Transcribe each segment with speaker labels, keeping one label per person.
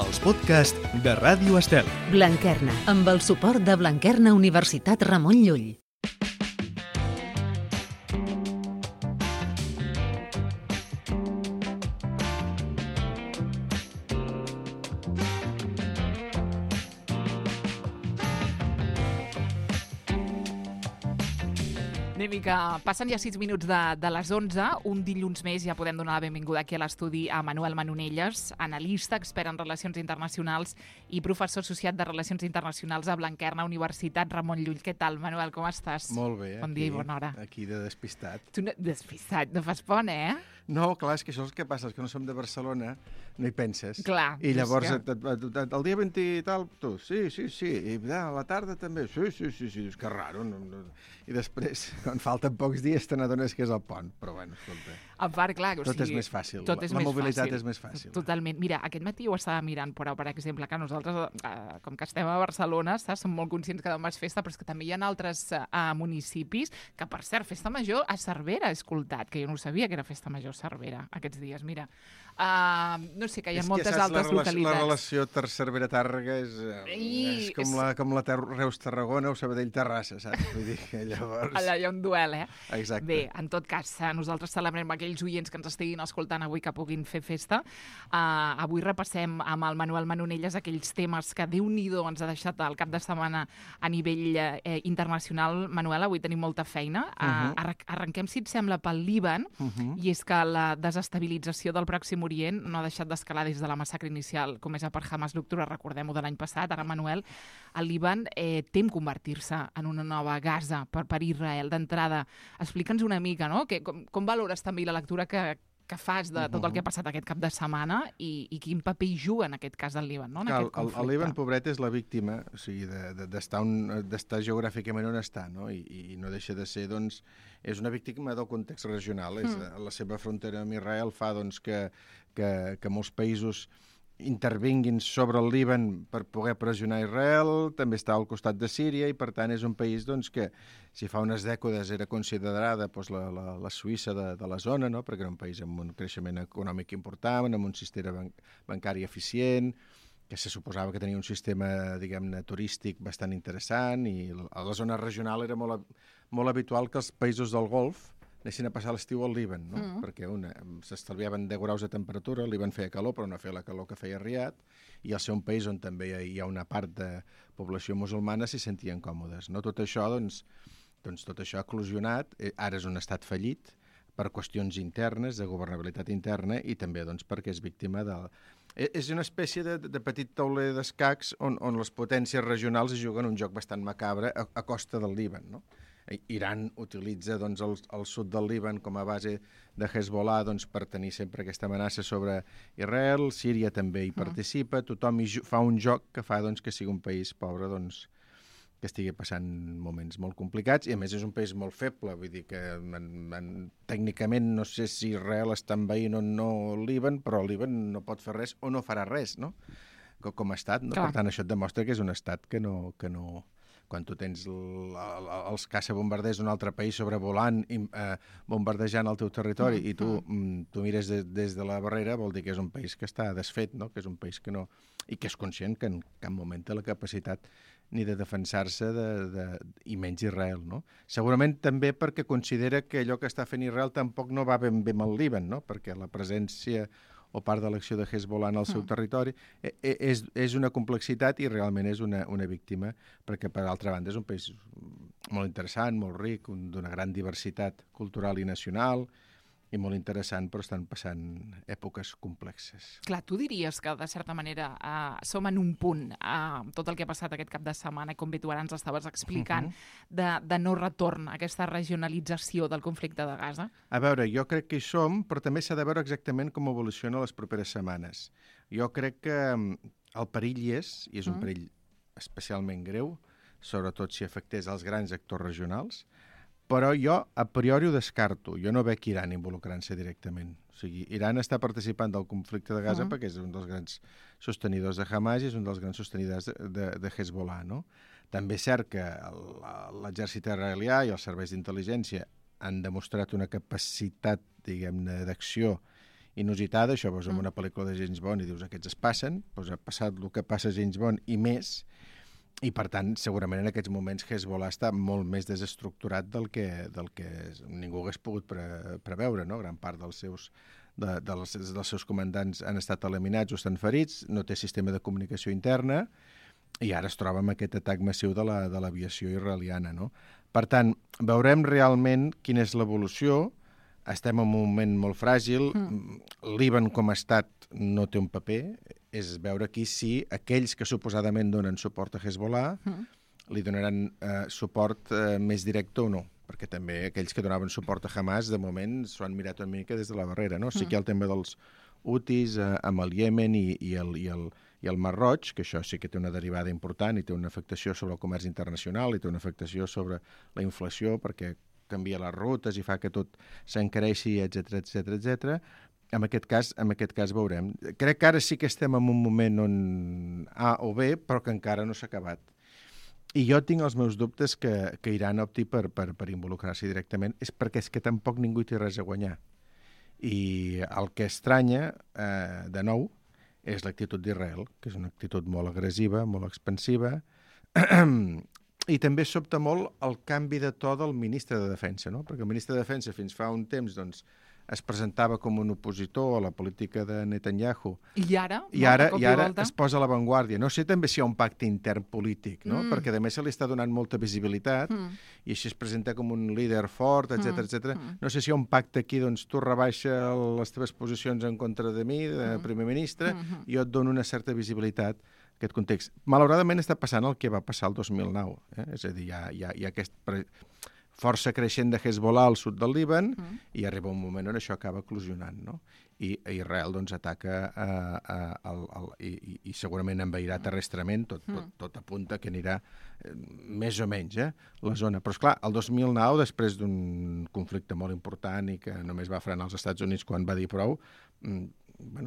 Speaker 1: els podcasts de Ràdio Estel.
Speaker 2: Blanquerna, amb el suport de Blanquerna Universitat Ramon Llull.
Speaker 3: Anem-hi, que passen ja 6 minuts de les 11. Un dilluns més ja podem donar la benvinguda aquí a l'estudi a Manuel Manonelles, analista, expert en relacions internacionals i professor associat de Relacions Internacionals a Blanquerna Universitat Ramon Llull. Què tal, Manuel, com estàs?
Speaker 4: Molt bé.
Speaker 3: Bon dia i bona hora.
Speaker 4: Aquí de despistat.
Speaker 3: Tu despistat, no fas pont, eh?
Speaker 4: No, clar, és que això és el que passa, és que no som de Barcelona, no hi penses.
Speaker 3: Clar.
Speaker 4: I llavors,
Speaker 3: que...
Speaker 4: el dia 20 i tal, tu, sí, i a la tarda també, sí, és que raro. No. I després, quan falten pocs dies, te n'adones que és el pont, però bueno, escolta.
Speaker 3: A part, clar,
Speaker 4: tot és més fàcil, la mobilitat és més fàcil.
Speaker 3: Totalment. Mira, aquest matí ho estava mirant, però, per exemple, que nosaltres, com que estem a Barcelona, som molt conscients que demà és festa, però és que també hi ha altres municipis, que per cert, festa major a Cervera he escoltat, que jo no sabia que era festa major a Cervera aquests dies, mira. No sé, que hi ha moltes altres localitats.
Speaker 4: La relació Cervera-Tàrrega és com la Reus-Tarragona o Sabadell-Terrassa, saps? Vull dir que llavors...
Speaker 3: Allà hi ha un duel, eh?
Speaker 4: Exacte.
Speaker 3: Bé, en tot cas, nosaltres celebrem aquells oients que ens estiguin escoltant avui que puguin fer festa. Avui repassem amb el Manuel Manonelles aquells temes que Déu-n'hi-do ens ha deixat el cap de setmana a nivell internacional. Manuel, avui tenim molta feina. Arrenquem, si et sembla, pel Líban, i és que la desestabilització del Pròxim Orient no ha deixat d'escalar des de la massacre inicial comesa per Hamas l'octubre, recordem-ho, de l'any passat. Ara, Manuel, el Líban tem convertir-se en una nova Gaza per Israel. D'entrada, explica'ns una mica, no? Com valores també la lectura que fas de tot el que ha passat aquest cap de setmana i quin paper hi juga en aquest cas del Líban, no? En aquest conflicte.
Speaker 4: El Líban, pobret, és la víctima, o sigui, d'estar geogràficament on està, no? I no deixa de ser, doncs, és una víctima del context regional. La seva frontera amb Israel fa, doncs, que molts països intervinguin sobre el Líban per poder pressionar Israel, també està al costat de Síria i, per tant, és un país doncs, que, si fa unes dècades era considerada doncs, la Suïssa de la zona, no? Perquè era un país amb un creixement econòmic important, amb un sistema bancari eficient, que se suposava que tenia un sistema, diguem-ne, turístic bastant interessant, i a la zona regional era molt habitual que els països del Golf anessin a passar l'estiu al Líban, no? Perquè s'estalviaven 10 graus de temperatura, el Líban feia calor, però no feia la calor que feia Riad, i al ser un país on també hi ha una part de població musulmana s'hi sentien còmodes, no? Tot això, doncs tot això ha eclosionat, ara és un estat fallit per qüestions internes, de governabilitat interna, i també doncs, perquè és víctima de... És una espècie de petit tauler d'escacs on les potències regionals juguen un joc bastant macabre a costa del Líban, no? Iran utilitza doncs, el sud del Líban com a base de Hezbollah doncs, per tenir sempre aquesta amenaça sobre Israel, Síria també hi participa, tothom fa un joc que fa doncs, que sigui un país pobre doncs, que estigui passant moments molt complicats, i a més és un país molt feble, vull dir que tècnicament no sé si Israel està envaint o no el Líban, però el Líban no pot fer res o no farà res, no? Com a estat, no? Per tant, això et demostra que és un estat que no... Quan tu tens els caçabombarders d'un altre país sobrevolant, bombardejant el teu territori, i tu mires des de la barrera, vol dir que és un país que està desfet, no? Que és un país que no... I que és conscient que en cap moment té la capacitat ni de defensar-se i menys Israel, no? Segurament també perquè considera que allò que està fent Israel tampoc no va ben bé amb el Líban, no? Perquè la presència o part de l'acció de Hezbollah en el seu territori, és una complexitat i realment és una víctima, perquè, per altra banda, és un país molt interessant, molt ric, d'una gran diversitat cultural i nacional, i molt interessant, però estan passant èpoques complexes.
Speaker 3: Clar, tu diries que, de certa manera, som en un punt, tot el que ha passat aquest cap de setmana, com bé tu ara ens estaves explicant, de no retorn a aquesta regionalització del conflicte de Gaza?
Speaker 4: A veure, jo crec que hi som, però també s'ha de veure exactament com evoluciona les properes setmanes. Jo crec que el perill hi és un perill especialment greu, sobretot si afectés els grans actors regionals, però jo a priori ho descarto. Jo no veig Iran involucrant-se directament. O sigui, Iran està participant del conflicte de Gaza perquè és un dels grans sostenidors de Hamas i és un dels grans sostenidors de Hezbollah, no? També és cert que l'exèrcit israelià i els serveis d'intel·ligència han demostrat una capacitat, diguem-ne, d'acció inusitada, això veus en una pel·lícula de James Bond i dius aquests es passen, doncs ha passat el que passa a James Bond i més, i per tant segurament en aquests moments Hezbollah està molt més desestructurat del que ningú hagués pogut preveure, no? Gran part dels seus comandants han estat eliminats o estan ferits, no té sistema de comunicació interna, i ara es troba amb aquest atac massiu de l'aviació israeliana, no? Per tant, veurem realment quina és l'evolució. Estem en un moment molt fràgil. Líban com a estat no té un paper. És veure aquí si aquells que suposadament donen suport a Hezbollah li donaran suport més directe o no. Perquè també aquells que donaven suport a Hamas, de moment, s'ho han mirat una mica des de la barrera, no? Sí que hi ha el tema dels Houthis amb el Iemen i el Mar Roig, que això sí que té una derivada important i té una afectació sobre el comerç internacional i té una afectació sobre la inflació perquè canvia les rutes i fa que tot s'encareixi, etc. En aquest cas veurem. Crec que ara sí que estem en un moment on A o B, però que encara no s'ha acabat. I jo tinc els meus dubtes que Iran opti per involucrar-s'hi directament, és perquè és que tampoc ningú hi té res a guanyar. I el que estranya, de nou, és l'actitud d'Israel, que és una actitud molt agressiva, molt expansiva, i també sobta molt el canvi de to del ministre de Defensa, no? Perquè el ministre de Defensa fins fa un temps doncs, es presentava com un opositor a la política de Netanyahu.
Speaker 3: I ara
Speaker 4: Es posa a l'avantguàrdia. No sé també si hi ha un pacte intern polític, no? Perquè a més se li està donant molta visibilitat i així es presenta com un líder fort, etc. No sé si hi ha un pacte aquí, doncs tu rebaixa les teves posicions en contra de mi, de primer ministre, i jo et dono una certa visibilitat a aquest context. Malauradament està passant el que va passar el 2009. És a dir, hi ha aquest força creixent de Hezbollah al sud del Líban i arriba un moment on això acaba eclosionant, no? I Israel doncs ataca i segurament envairà terrestrement, tot apunta que anirà més o menys la zona. Però esclar, el 2009, després d'un conflicte molt important i que només va frenar els Estats Units quan va dir prou,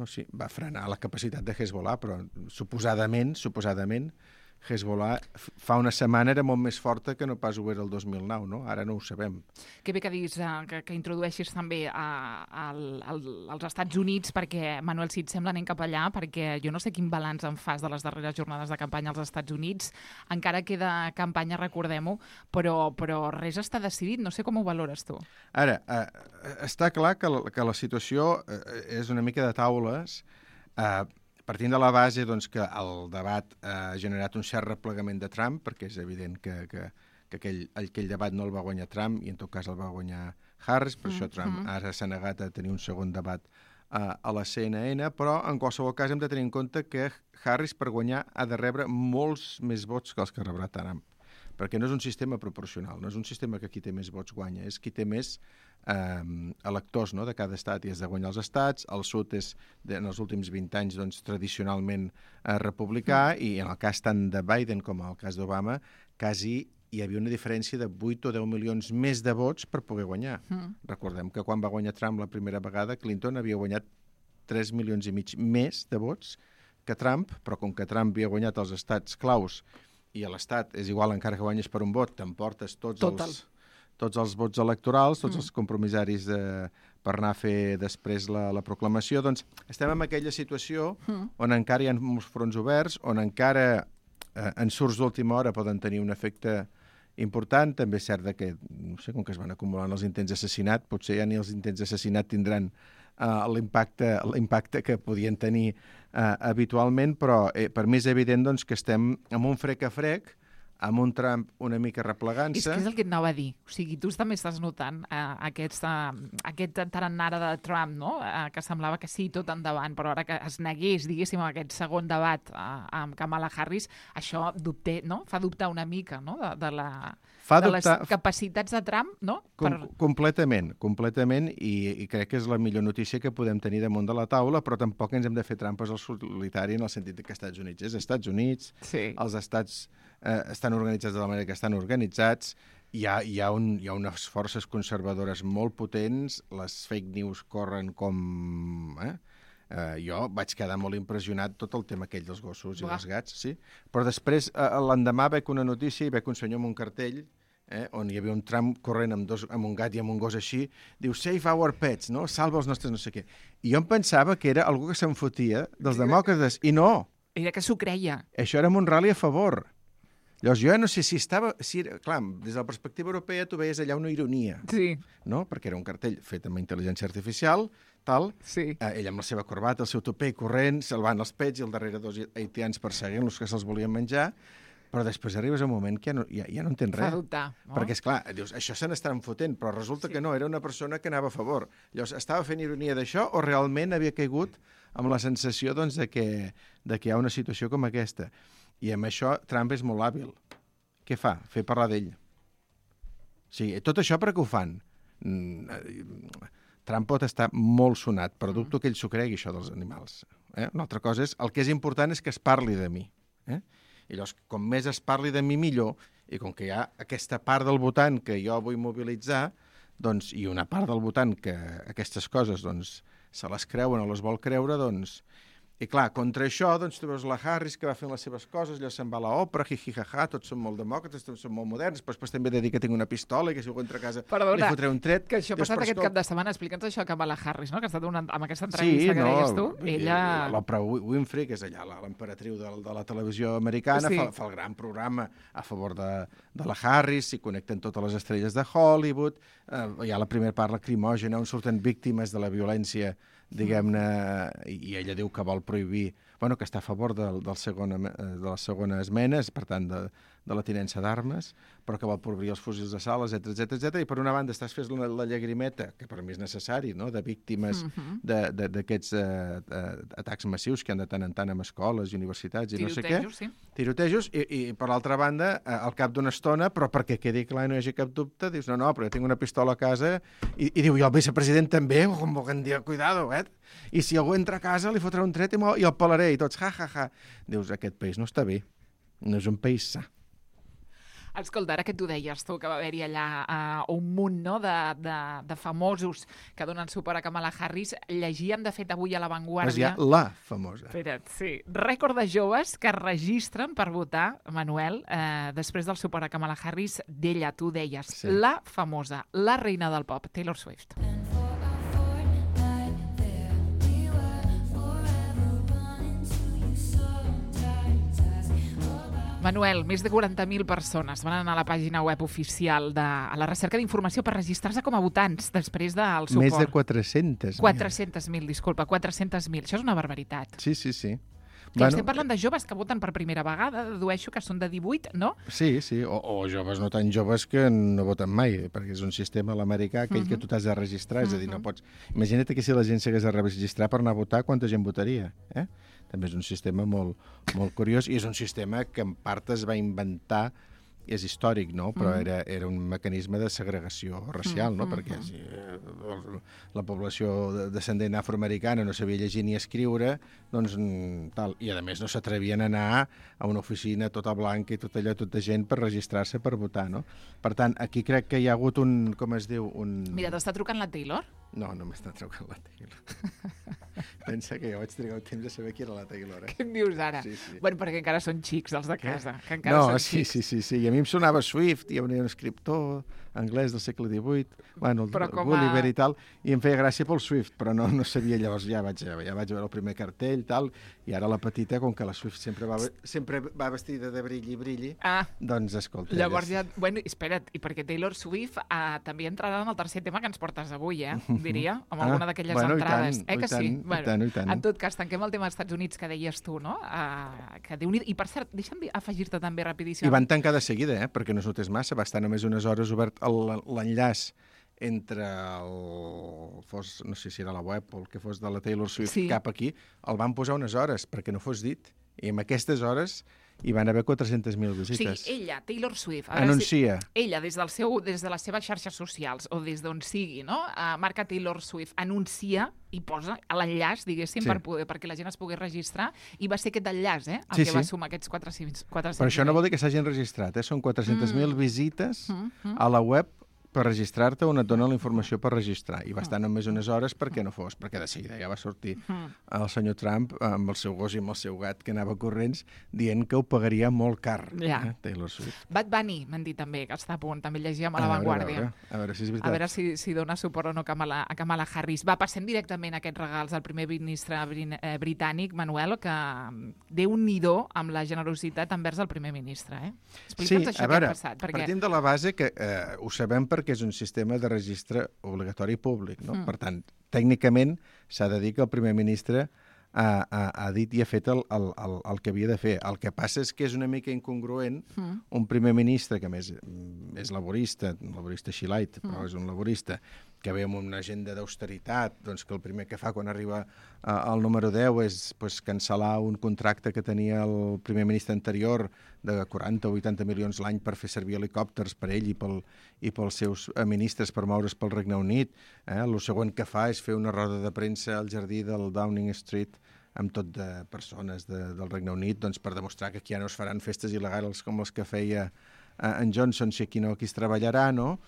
Speaker 4: sí, va frenar la capacitat de Hezbollah, però suposadament Hezbollah fa una setmana era molt més forta que no pas ho era el 2009, no? Ara no ho sabem.
Speaker 3: Que bé que diguis que introdueixis també als Estats Units, perquè, Manuel, si et sembla, anem cap allà, perquè jo no sé quin balanç en fas de les darreres jornades de campanya als Estats Units. Encara queda campanya, recordem-ho, però res està decidit. No sé com ho valores tu.
Speaker 4: Ara, està clar que la situació és una mica de taules, partint de la base doncs, que el debat ha generat un cert replegament de Trump, perquè és evident que aquell debat no el va guanyar Trump i en tot cas el va guanyar Harris, per això Trump ara s'ha negat a tenir un segon debat a la CNN, però en qualsevol cas hem de tenir en compte que Harris per guanyar ha de rebre molts més vots que els que rebrà Trump, perquè no és un sistema proporcional, no és un sistema que qui té més vots guanya, és qui té més electors, no?, de cada estat, i has de guanyar els estats. El sud és, en els últims 20 anys, doncs, tradicionalment republicà, i en el cas tant de Biden com en el cas d'Obama, quasi hi havia una diferència de 8 o 10 milions més de vots per poder guanyar. Recordem que quan va guanyar Trump la primera vegada, Clinton havia guanyat 3 milions i mig més de vots que Trump, però com que Trump havia guanyat els estats claus i a l'estat és igual, encara que guanyes per un vot, t'emportes tots els vots electorals, tots els compromissaris per anar a fer després la proclamació, doncs estem en aquella situació on encara hi ha molts fronts oberts, on encara ensurts d'última hora poden tenir un efecte important. També és cert que, no sé, com que es van acumulant els intents d'assassinat, potser ja ni els intents d'assassinat tindran l'impacte que podien tenir habitualment, però per mi és evident doncs, que estem amb un frec a frec, amb un Trump una mica replegant-se.
Speaker 3: És que és el que et anava a dir. O sigui, tu també estàs notant aquest tarannara de Trump, no? Que semblava que sí, tot endavant, però ara que es negués, diguéssim, aquest segon debat amb Kamala Harris, això no? Fa dubtar una mica, no?, de les capacitats de Trump, no?
Speaker 4: Completament, i crec que és la millor notícia que podem tenir damunt de la taula, però tampoc ens hem de fer trampes al solitari en el sentit que Estats Units és Estats Units, els estats estan organitzats de la manera que estan organitzats, hi ha unes forces conservadores molt potents, les fake news corren com... Jo vaig quedar molt impressionat tot el tema aquell dels gossos i dels gats, sí. Però després, l'endemà veig una notícia i veig un senyor amb un cartell on hi havia un tram corrent amb un gat i amb un gos així, diu Save our pets, no? Salva els nostres no sé què. I jo em pensava que era algú que se'n fotia dels demòcrates, i no.
Speaker 3: Era que s'ho creia.
Speaker 4: Això era un rally a favor. Llavors, jo no sé si estava... Clar, des de la perspectiva europea tu veies allà una ironia,
Speaker 3: Sí.
Speaker 4: no? Perquè era un cartell fet amb intel·ligència artificial, tal,
Speaker 3: Sí.
Speaker 4: ell amb la seva corbata, el seu topé, corrent, salvant els pets, i al darrere dos haitians perseguint-los que se'ls volien menjar, però després arribes a un moment que ja no entens
Speaker 3: Fa
Speaker 4: res.
Speaker 3: dubtar, no?
Speaker 4: Perquè, esclar, dius, això se n'estan fotent, però resulta que no, era una persona que anava a favor. Llavors, estava fent ironia d'això o realment havia caigut amb la sensació doncs, de que hi ha una situació com aquesta? I amb això Trump és molt hàbil. Què fa? Fer parlar d'ell. O sigui, tot això per què ho fan? Trump pot estar molt sonat, però dubto que ell s'ho cregui, això dels animals. Una altra cosa és, el que és important és que es parli de mi. I llavors, com més es parli de mi, millor, i com que hi ha aquesta part del votant que jo vull mobilitzar, doncs, i una part del votant que aquestes coses doncs, se les creuen o les vol creure, doncs... I clar, contra això, doncs, tu veus la Harris que va fent les seves coses, allò se'n va a l'òpera, jijijaja, tots són molt demòcrates, tots són molt moderns, però després també he de dir que tinc una pistola i que si algú entra a casa li fotré un tret.
Speaker 3: Que això ha passat aquest cap de setmana. Explica'ns això que amb la Harris, no? Que ha estat amb aquesta entrevista que deies tu. Ella...
Speaker 4: L'Oprah Winfrey, que és allà l'emperatriu de la televisió americana,
Speaker 3: Sí.
Speaker 4: fa el gran programa a favor de la Harris, s'hi connecten totes les estrelles de Hollywood, hi ha la primera part lacrimògena on surten víctimes de la violència, diguem-ne, i ella diu que vol prohibir, bueno, que està a favor de la segona esmena, per tant, de la tinença d'armes, però que vol prohibir els fusils de sal, etc. I per una banda estàs fent la llagrimeta, que per mi és necessari, no?, de víctimes d'aquests atacs massius que han de tant en tant amb escoles i universitats i no sé què.
Speaker 3: Sí.
Speaker 4: Tirotejos, i per l'altra banda, al cap d'una estona, però perquè quedi clar i no hi hagi cap dubte, dius, no, però jo tinc una pistola a casa, i diu, i el vicepresident també, com volguem dir, cuidado, i si algú entra a casa li fotrà un tret i el pelaré, i tots, ja. Dius, aquest país no està bé, no és un país sa.
Speaker 3: Escolta, ara que tu deies tu, que va haver-hi allà un munt, no?, de famosos que donen suport a Kamala Harris, llegíem, de fet, avui a La Vanguardia...
Speaker 4: Però hi ha la famosa.
Speaker 3: Espera't, sí. Rècord de joves que es registren per votar, Manuel, després del suport a Kamala Harris, d'ella, tu deies,
Speaker 4: Sí.
Speaker 3: la famosa, la reina del pop, Taylor Swift. Manuel, més de 40.000 persones van anar a la pàgina web oficial a la recerca d'informació per registrar-se com a votants després del suport.
Speaker 4: Més de 400.000.
Speaker 3: 400.000, disculpa, 400.000. Això és una barbaritat.
Speaker 4: Sí.
Speaker 3: Que estem parlant de joves que voten per primera vegada, dedueixo que són de 18, no?
Speaker 4: Sí, o joves no tan joves que no voten mai, perquè és un sistema a l'americà aquell que tu t'has de registrar, és a dir, no pots... Imagina't que si la gent s'hagués de registrar per anar a votar, quanta gent votaria, També és un sistema molt curiós i és un sistema que en part es va inventar, és històric, no? Però era un mecanisme de segregació racial, no? Perquè si la població descendent afroamericana no sabia llegir ni escriure, doncs tal. I a més no s'atrevien a anar a una oficina tota blanca i tot allò, tota gent per registrar-se per votar, no? Per tant, aquí crec que hi ha hagut un, com es diu, un...
Speaker 3: Mira, t'està trucant la Taylor?
Speaker 4: No m'està trucant la Taylor. Pensa que jo vaig trigar un temps a saber qui era la Taylor,
Speaker 3: Què em dius ara?
Speaker 4: Sí.
Speaker 3: Bueno, perquè encara són xics, els de casa. Que encara
Speaker 4: No,
Speaker 3: són xics.
Speaker 4: sí. I a mi em sonava Swift, hi havia un escriptor anglès del segle XVIII, bueno, el Gulliver i tal, i em feia gràcia pel Swift, però no sabia, llavors ja vaig veure el primer cartell, tal, i ara la petita, com que la Swift sempre va vestida de brilli, doncs escolta...
Speaker 3: Llavors ja... Bueno, espera't, i perquè Taylor Swift també entrarà en el tercer tema que ens portes avui, diria, amb alguna d'aquelles entrades.
Speaker 4: I tant.
Speaker 3: En tot cas, tanquem el tema dels Estats Units que deies tu, no? I per cert, deixa'm afegir-te també rapidíssim.
Speaker 4: I van tancar de seguida, perquè no es notés massa, va estar només unes hores obert l'enllaç entre no sé si era la web o el que fos de la Taylor Swift cap aquí, el van posar unes hores perquè no fos dit. I en aquestes hores hi van haver 400.000 visites.
Speaker 3: O sigui, ella, Taylor Swift...
Speaker 4: Anuncia.
Speaker 3: Ella, des de les seves xarxes socials o des d'on sigui, no? Marca Taylor Swift, anuncia i posa l'enllaç, diguéssim, perquè la gent es pogués registrar, i va ser aquest enllaç, el que va sumar aquests 400.
Speaker 4: Però això no vol dir que s'hagin registrat, són 400.000 visites a la web per registrar-te on et donen la informació per registrar. I va estar només unes hores perquè no fos, perquè de seguida ja va sortir el senyor Trump amb el seu gos i amb el seu gat que anava corrents dient que ho pagaria molt car, Taylor Swift.
Speaker 3: Bad Bunny, m'han dit també, que està a punt. També llegíem a La Vanguardia.
Speaker 4: A veure si és veritat.
Speaker 3: A veure si dona suport o no a Kamala Harris. Va, passem directament a aquests regals al primer ministre britànic, Manuel, que Déu-n'hi-do amb la generositat envers el primer ministre. Explica'ns això que ha passat. Perquè...
Speaker 4: Partim de la base que ho sabem perquè és un sistema de registre obligatori públic, no? Per tant, tècnicament s'ha de dir que el primer ministre ha dit i ha fet el que havia de fer. El que passa és que és una mica incongruent un primer ministre, que a més és laborista així light, però és un laborista, que ve amb una agenda d'austeritat, doncs que el primer que fa quan arriba al número 10 és cancel·lar un contracte que tenia el primer ministre anterior de 40 o 80 milions l'any per fer servir helicòpters per ell i pels seus ministres per moure's pel Regne Unit. El següent que fa és fer una roda de premsa al jardí del Downing Street amb tot de persones del Regne Unit, doncs per demostrar que aquí ja no es faran festes il·legals com les que feia en Johnson, si aquí no, aquí es treballarà, no?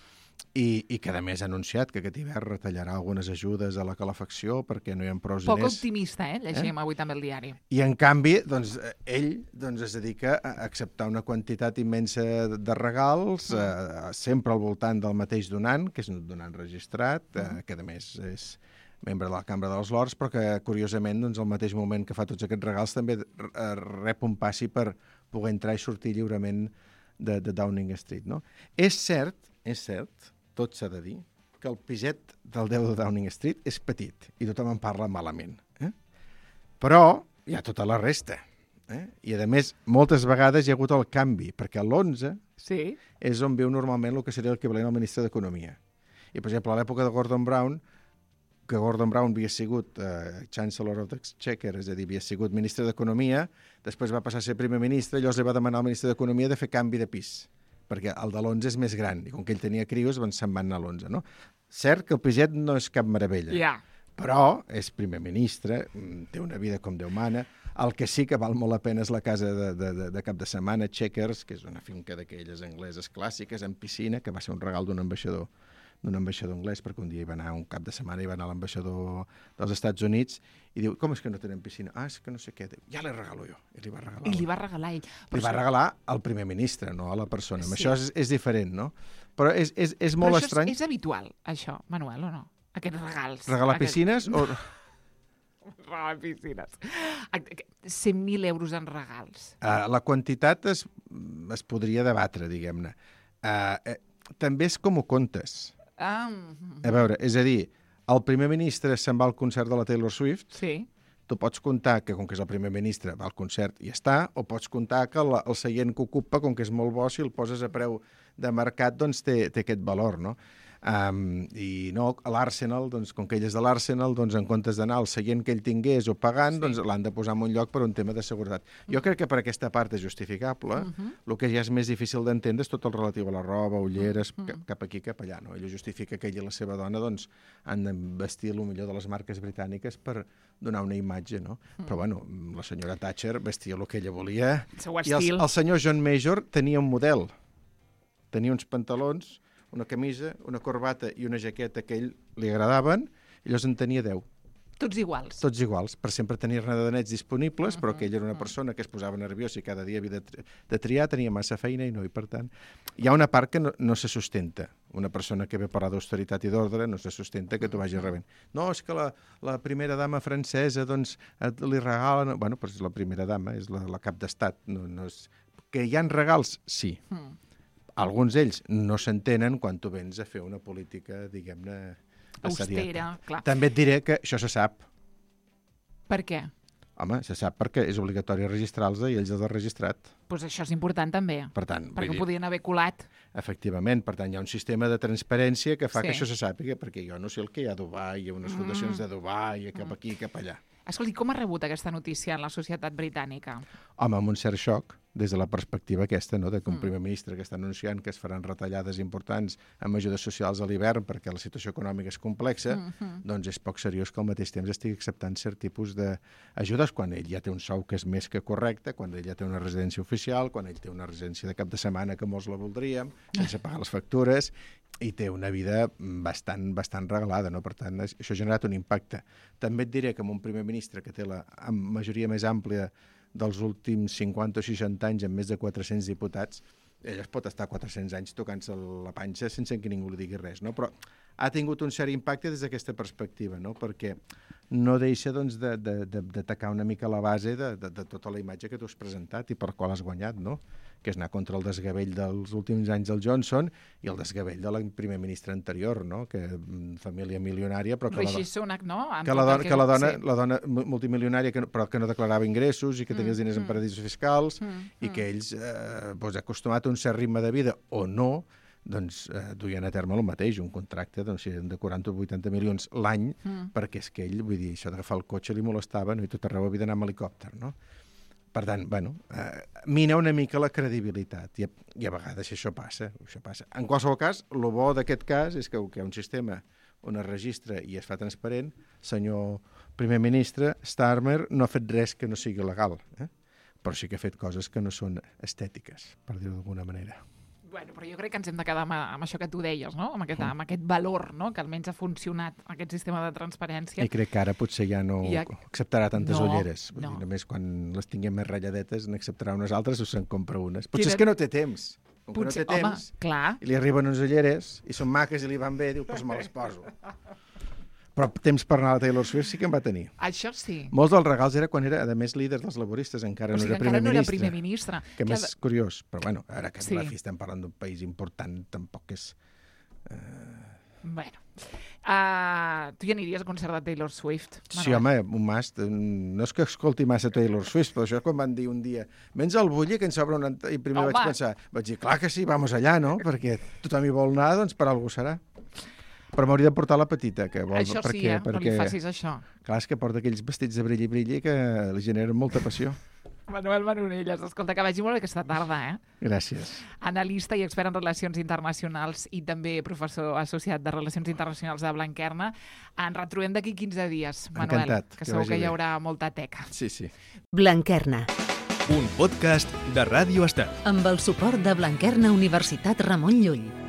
Speaker 4: I que a més ha anunciat que aquest hivern retallarà algunes ajudes a la calefacció perquè no hi ha prou diners.
Speaker 3: Poc optimista, llegim avui també el diari.
Speaker 4: I en canvi, doncs, ell es dedica a acceptar una quantitat immensa de regals, sempre al voltant del mateix donant, que és un donant registrat, que a més és membre de la Cambra dels Lords, però que, curiosament, doncs, al mateix moment que fa tots aquests regals, també rep un passi per poder entrar i sortir lliurement de Downing Street, no? És cert, tot s'ha de dir, que el piset del 10 de Downing Street és petit i tothom en parla malament. Però hi ha tota la resta. I, a més, moltes vegades hi ha hagut el canvi, perquè l'11 és on viu normalment el que seria l'equivalent al ministre d'Economia. I, per exemple, a l'època de Gordon Brown, que Gordon Brown havia sigut Chancellor of the Exchequer, és a dir, havia sigut ministre d'Economia, després va passar a ser primer ministre, llavors li va demanar al ministre d'Economia de fer canvi de pis, perquè el de l'11 és més gran, i com que ell tenia crios, doncs se'n van anar a l'11, no? Cert que el piset no és cap meravella, però és primer ministre, té una vida com Déu mana. El que sí que val molt la pena és la casa de cap de setmana, Chequers, que és una finca d'aquelles angleses clàssiques, amb piscina, que va ser un regal d'un ambaixador anglès, perquè un dia hi va anar, un cap de setmana, hi va anar l'ambaixador dels Estats Units, i diu, com és que no tenen piscina? És que no sé què. Diu, ja l'he regalo jo. I li va regalar.
Speaker 3: I li va regalar ell.
Speaker 4: Li va regalar al primer ministre, no a la persona. Això és diferent, no? Però és molt estrany.
Speaker 3: Però és habitual, això, Manuel, o no? Aquests regals.
Speaker 4: Regalar piscines o...
Speaker 3: Regalar piscines. 100.000 euros en regals.
Speaker 4: La quantitat es podria debatre, diguem-ne. També és com ho comptes. A veure, és a dir, el primer ministre se'n va al concert de la Taylor Swift, tu pots comptar que, com que és el primer ministre, va al concert i està, o pots comptar que el seient que ocupa, com que és molt bo, si el poses a preu de mercat, doncs té aquest valor, no? I no, a l'Arsenal, doncs, com que ell és de l'Arsenal, doncs, en comptes d'anar al seient que ell tingués o pagant, doncs l'han de posar en un lloc per un tema de seguretat. Jo crec que per aquesta part és justificable. El que ja és més difícil d'entendre és tot el relatiu a la roba, ulleres, cap aquí, cap allà. No? Ell justifica que ell i la seva dona doncs, han de vestir el millor de les marques britàniques per donar una imatge, no? Però, bueno, la senyora Thatcher vestia el que ella volia. I el senyor John Major tenia un model. Tenia uns pantalons, una camisa, una corbata i una jaqueta que a ell li agradaven, i llavors en tenia 10.
Speaker 3: Tots iguals.
Speaker 4: Tots iguals, per sempre tenir-ne de nets disponibles, però que ell era una persona que es posava nerviós i cada dia havia de triar, tenia massa feina i no, i per tant... Hi ha una part que no se sustenta. Una persona que ve a parlar d'austeritat i d'ordre no se sustenta que tu vagis rebent. No, és que la primera dama francesa doncs li regala... Bueno, però és la primera dama, és la cap d'estat. No és... Que hi ha regals, sí. Alguns d'ells no s'entenen quan tu vens a fer una política, diguem-ne,
Speaker 3: austera, clar.
Speaker 4: També et diré que això se sap.
Speaker 3: Per què?
Speaker 4: Home, se sap perquè és obligatori registrar-los i ells els han registrat.
Speaker 3: Doncs això és important també,
Speaker 4: per tant,
Speaker 3: perquè ho podien haver colat.
Speaker 4: Efectivament, per tant, hi ha un sistema de transparència que fa que això se sàpiga, perquè jo no sé el que hi ha a Dubai, hi ha unes fundacions de Dubai, cap aquí, cap allà.
Speaker 3: Escolti, com ha rebut aquesta notícia en la societat britànica?
Speaker 4: Home, amb un cert xoc, des de la perspectiva aquesta, no?, de que un primer ministre que està anunciant que es faran retallades importants amb ajudes socials a l'hivern perquè la situació econòmica és complexa, doncs és poc seriós que al mateix temps estigui acceptant cert tipus d'ajudes quan ell ja té un sou que és més que correcte, quan ell ja té una residència oficial, quan ell té una residència de cap de setmana que molts la voldríem, sense pagar les factures, i té una vida bastant regalada, no? Per tant, això ha generat un impacte. També et diré que amb un primer ministre que té la majoria més àmplia dels últims 50 o 60 anys, amb més de 400 diputats, ell es pot estar 400 anys tocant-se la panxa sense que ningú li digui res, no? Però ha tingut un cert impacte des d'aquesta perspectiva, no? Perquè no deixa doncs, d'atacar una mica la base de tota la imatge que tu has presentat i per qual has guanyat, no? Que és anar contra el desgavell dels últims anys del Johnson i el desgavell de la primer ministre anterior, no? Que família milionària, però que
Speaker 3: Rishi Sunak, no?
Speaker 4: la dona multimilionària però que no declarava ingressos i que tenia els diners en paradisos fiscals i que ells, acostumat a un cert ritme de vida o no, doncs duien a terme el mateix, un contracte de 40 o 80 milions l'any, perquè és que ell, vull dir, això d'agafar el cotxe li molestava, no? I tot arreu havia d'anar amb helicòpter, no? Per tant, mina una mica la credibilitat i a vegades això passa. En qualsevol cas, el bo d'aquest cas és que hi ha un sistema on es registra i es fa transparent. Senyor primer ministre, Starmer no ha fet res que no sigui legal, però sí que ha fet coses que no són estètiques, per dir-ho d'alguna manera.
Speaker 3: Bueno, però jo crec que ens hem de quedar amb això que tu deies, no? Amb aquest valor, no? Que almenys ha funcionat aquest sistema de transparència.
Speaker 4: I crec que ara potser ja no acceptarà tantes ulleres.
Speaker 3: No.
Speaker 4: Només quan les tinguem més ratlladetes n'acceptarà unes altres o se'n compra unes. Potser és que no té temps. Com que no té temps,
Speaker 3: clar.
Speaker 4: I li arriben unes ulleres i són maques i li van bé, diu, doncs me les poso. Però temps per anar a la Taylor Swift sí que en va tenir.
Speaker 3: Això sí.
Speaker 4: Molts dels regals era quan era, a més, líder dels laboristes, encara no era primer ministre. Que més curiós. Però bueno, ara que la fi estem parlant d'un país important, tampoc és...
Speaker 3: Bueno. Tu ja aniries a concert de Taylor Swift? Manuel?
Speaker 4: Sí, home, un mast. No és que escolti massa Taylor Swift, però això quan van dir un dia vens al Bulli, que ens obre una... I primer vaig dir, clar que sí, vamos allà, no? Perquè tothom hi vol anar, doncs per algú serà. Però m'hauria de portar la petita, que vol...
Speaker 3: Això sí, no li facis això.
Speaker 4: Clar, és que porta aquells vestits de brilli-brilli que li generen molta passió.
Speaker 3: Manuel Manonelles, escolta, que vagi molt aquesta tarda,
Speaker 4: Gràcies.
Speaker 3: Analista i expert en relacions internacionals i també professor associat de Relacions Internacionals de Blanquerna. Ens retrobem d'aquí 15 dies, Manuel.
Speaker 4: Encantat.
Speaker 3: Que segur que hi haurà molta teca.
Speaker 1: Sí.
Speaker 2: Blanquerna.
Speaker 1: Un podcast de Ràdio Estel.
Speaker 2: Amb el suport de Blanquerna Universitat Ramon Llull.